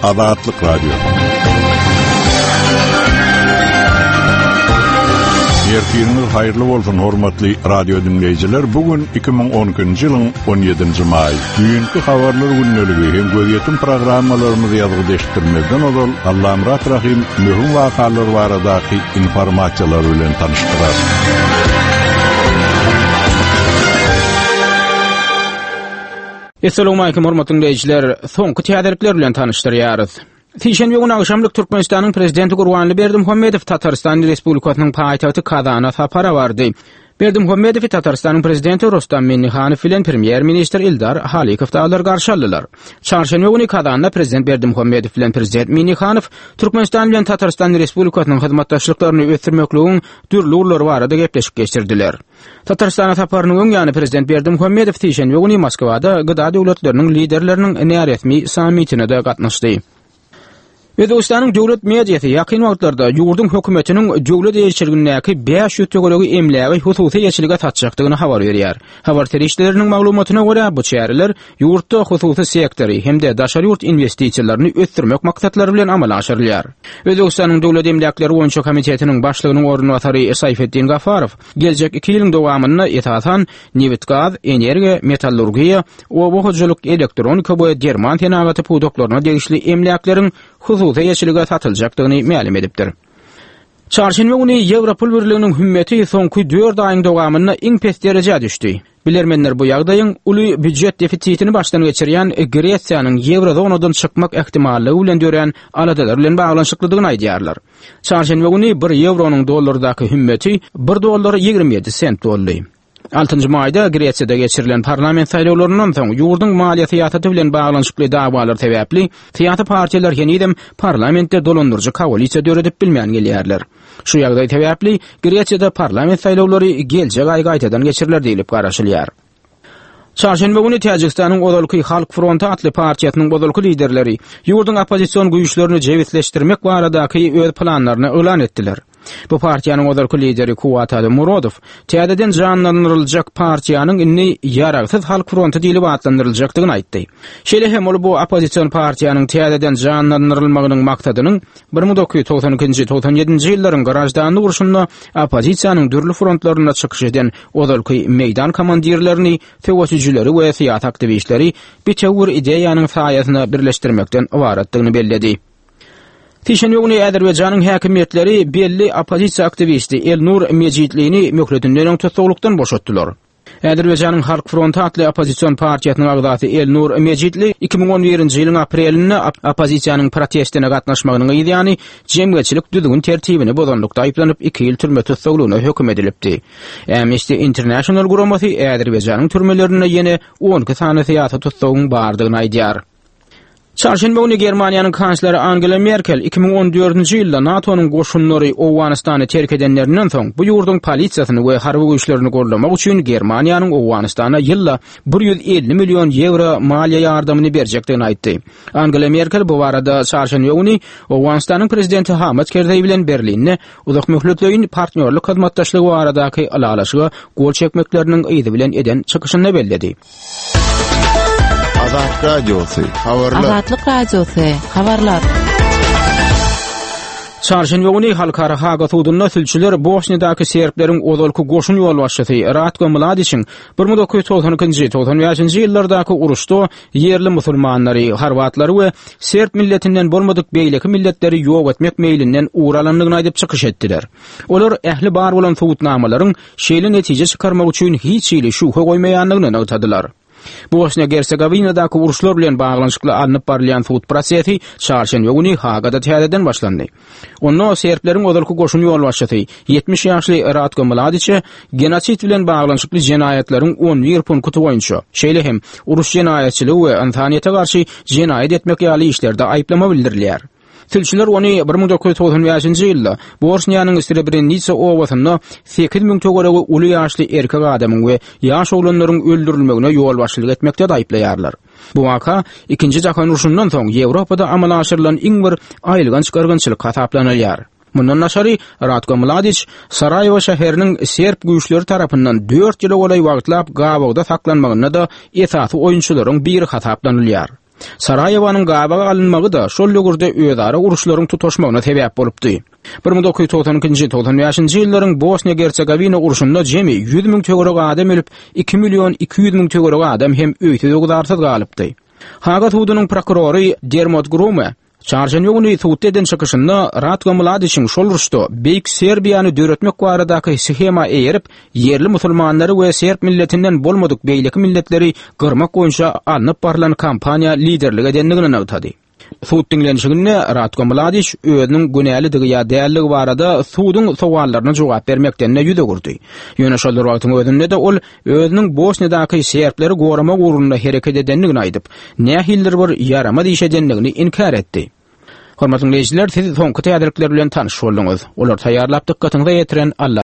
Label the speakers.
Speaker 1: Azatlyk Radiosy. Ertiriňiz haýyrly bolsun, hormatly radio diňleýjiler! Bu gün 2012-nji ýylyň 17-nji maýy. Düýnki habarlar gündeligi hem gözýetim programmalarymyzy ýazgyda eşitdirmezden ozal, Allamyrat Rahym möhüm wakalar baradaky informasiýalar bilen tanyşdyrar.
Speaker 2: Essalawmalikim hormatly diňleýjiler! Soňky täzelikler bilen tanyşdyrýarys. Sişenbe güni agşamlyk Türkmenistanyň Prezidenti Gurbanguly Berdimuhamedow Tatarystan Respublikasynyň paýtagty Kazana sapara bardy. Berdimuhamedowy Tatarystanyň Prezidenti Rustam Minnihanow bilen Premýer-ministr Ildar Halikow dagylar garşy aldylar. Çarşenbe güni Kazanda Prezident Berdimuhamedow bilen Prezident Minnihanow Türkmenistan bilen Tatarystan Respublikasynyň hyzmatdaşlyklaryny ösdürmekligiň dürli ugurlary barada gepleşik geçirdiler. Tatarystana saparynyň öň ýany prezident Berdimuhamedow sişenbe güni Moskwada GDA döwletleriniň liderleriniň näresmi sammitine-de gatnaşdy. Özbegistanyň döwlet mediasy ýakyn wagtlarda ýurduň hökümetiniň döwlet eýeçiligindäki 500 töweregi emlägi hususy eýeçilige satjakdygyny habar berýär. Habar serişdeleriniň maglumatyna görä, bu çäreler ýurtda hususy sektory hem-de daşary ýurt inwestisiýalaryny ösdürmek maksatlary bilen amala aşyrylýar. Özbegistanyň Döwlet emläkleri boýunça komitetiniň başlygynyň orunbasary Saýfetdin Gafarow geljek iki ýylyň dowamynda esasan nebitgaz, energiýa, metallurgiýa, oba hojalyk, elektronika we derman senagaty pudaklaryna degişli emläkleriň hususy eýeçilige satyljakdygyny mälim edipdir. Çarşenbe güni ýewro pul birliginiň hümmeti soňky dört aýyň dowamynda iň pes derejä düşdi. Bilermenler bu ýagdaýyň uly býujet defisitini başdan geçirýän Gresiýanyň ýewrozonadan çykmak ähtimallygy bilen dörän aladalar bilen baglanyşyklydygyny aýdýarlar. Çarşenbe güni bir ýewronyň dollardaky hümmeti bir dollar 27 sent boldy. Altynjy maýda Gresiýada geçirilen parlament saýlawlaryndan soň ýurduň maliýe syýasaty bilen baglanyşykly dawalar sebäpli syýasy partiýalar henizem parlamentde dolandyryjy koalisiýa döredip bilmän gelýärler. Şu ýagdaý sebäpli Gresiýada parlament saýlawlary geljek aý gaýtadan geçiriler diýlip garaşylýar. Çarşenbe güni Täjigistanyň ozalky Halk fronty atly partiýasynyň ozalky liderleri ýurduň oppozision güýçlerini jebisleşdirmek baradaky öz planlaryny yglan etdiler. Bu partiýanyň ozalky lideri Kuwatali Murodow täzeden janlandyryljak partiýanyň indi Ýaragsyz halk fronty diýlip atlandyryljakdygyny aýtdy. Şeýle hem ol bu oppozision partiýanyň täzeden janlandyrylmagynyň maksadynyň 1992-nji, 97-nji ýyllaryň graždanlyk urşunda oppozisiýanyň dürli frontlarynda çykyş eden ozalky meýdan komandirlerini, söweşijileri we syýasy aktiwistleri bitewi bir ideýanyň saýasyna birleşdirmekden ybaratdygyny belledi. Sişenbe güni Azerbaýjanyň häkimiýetleri belli oppozisiýa aktiwisti Elnur Mejitlini möhletinden öň tussaglykdan boşatdylar. Azerbaýjanyň Halk fronty atly oppozision partiýasynyň agzasy Elnur Mejitli 2011-nji ýylyň aprelinde oppozisiýanyň protestine gatnaşmagynyň yzýany jemgyýetçilik düzgün-tertibini bozanlykda aýyplanyp, iki ýyl türme tussaglygyna höküm edilipdi. Amnesty International guramasy Azerbaýjanyň türmelerinde ýene 12 sany syýasy tussagyň bardygyny aýdýar. Çarşenbe güni Germaniýanyň kansleri Angela Merkel 2014-nji ýylda NATO-nyň goşunlary Owganystany terk edenlerinden soň, bu ýurduň polisiýasyny we harby güýçlerini goldamak üçin Germaniýanyň Owganystana ýylda 150 million ýewro maliýe ýardamyny berjekdigini aýtdy. Angela Merkel bu barada çarşenbe güni Owganystanyň prezidenti Hamid Kerzeý bilen Berlinde uzakmöhletleýin partnýorlyk hyzmatdaşlygy baradaky ylalaşyga gol çekmekleriniň yzy bilen eden çykyşynda belledi.
Speaker 3: Azat Radiosy, habarlar.
Speaker 4: Azatlyk Radiosy, habarlar.
Speaker 2: Çarşenbe güni Halkara Haga sudunda sülçüler Bosniýadaky serbleriň ozalky goşun ýolbaşçysy Ratko Mladiçiň 1992-nji, 95-nji ýyllardaky uruşda ýerli musulmanlary, horwatlary we serb milletinden bolmadyk beýleki milletleri ýok etmek meýlinden ugur alandygyny aýdyp çykyş etdiler. Olar ähli bar bolan subutnamalaryň şeýle netije çykarmak üçin hiç hili şübhe goýmaýandygyny nygtadylar. Bosniýa-Gersegowinadaky uruşlar bilen baglanyşykly alnyp barylýan sud prosesi çarşenbe güni Hagada täzeden başlandy. Onda serbleriň ozalky goşun ýolbaşçysy, 70 ýaşly Ratko Mladiçe genosid bilen baglanyşykly jenaýatlaryň 11 punkty boýunça, şeýle hem uruş jenaýatçylygy we ynsanyýete garşy jenaýat etmek ýaly işlerde aýyplama bildirilýär. Sülçüler ony 1995-nji ýylda Bosniýanyň Srebrenitsa obasynda 8000 töweregi uly ýaşly erkek adamyň we ýaş oglanlaryň öldürilmegine ýolbaşçylyk etmekde aýyplaýarlar. Bu waka Ikinji jahan urşundan soň Ýewropada amala aşyrylan iň bir aýylganç gyrgynçylyk hasaplanylýar. Mundan daşary, Ratko Mladiç Saraýewo şäheriniň serb güýçleri tarapyndan dört ýyla golaý wagtlap gabawda saklanmagynda-da esasy oýunçylaryň biri hasaplanylýar. Saraýewonyň gabaga alynmagy-da şol döwürde özara uruşlaryň tutaşmagyna sebäp bolupdy. 1992-nji, 95-nji ýyllaryň Bosniýa-Gersegowina urşunda jemi 100 müň töweregi adam ölüp, 2 million 200 müň töweregi adam hem öýsüz-öwzarsyz galypdy. Haga sudunyň prokurory Dermot Grume çarşenbe güni sudda eden çykyşynda Ratko Mladiçiň şol uruşda Beýik Serbiýany döretmek baradaky shema eýerip, ýerli musulmanlary we serb milletinden bolmadyk beýleki milletleri gyrmak boýunça alnyp barlan kampaniýa liderlik edendigini nygtady. Sud diňlenişiginde Ratko Mladiç özüniň günälidigi ýa däldigi barada suduň sowallaryna jogap bermekden-de ýüz öwürdi. Ýöne şol bir wagtyň özünde-de ol özüniň Bosniýadaky serbleri goramak ugrunda hereket edendigini aýdyp, nähilidir bir ýaramaz iş edendigini inkär etdi. Hormatly diňleýjiler, siz soňky täzelikler bilen tanyş bolduňyz. Olary taýýarlap dykgatyňyza ýetiren Alla.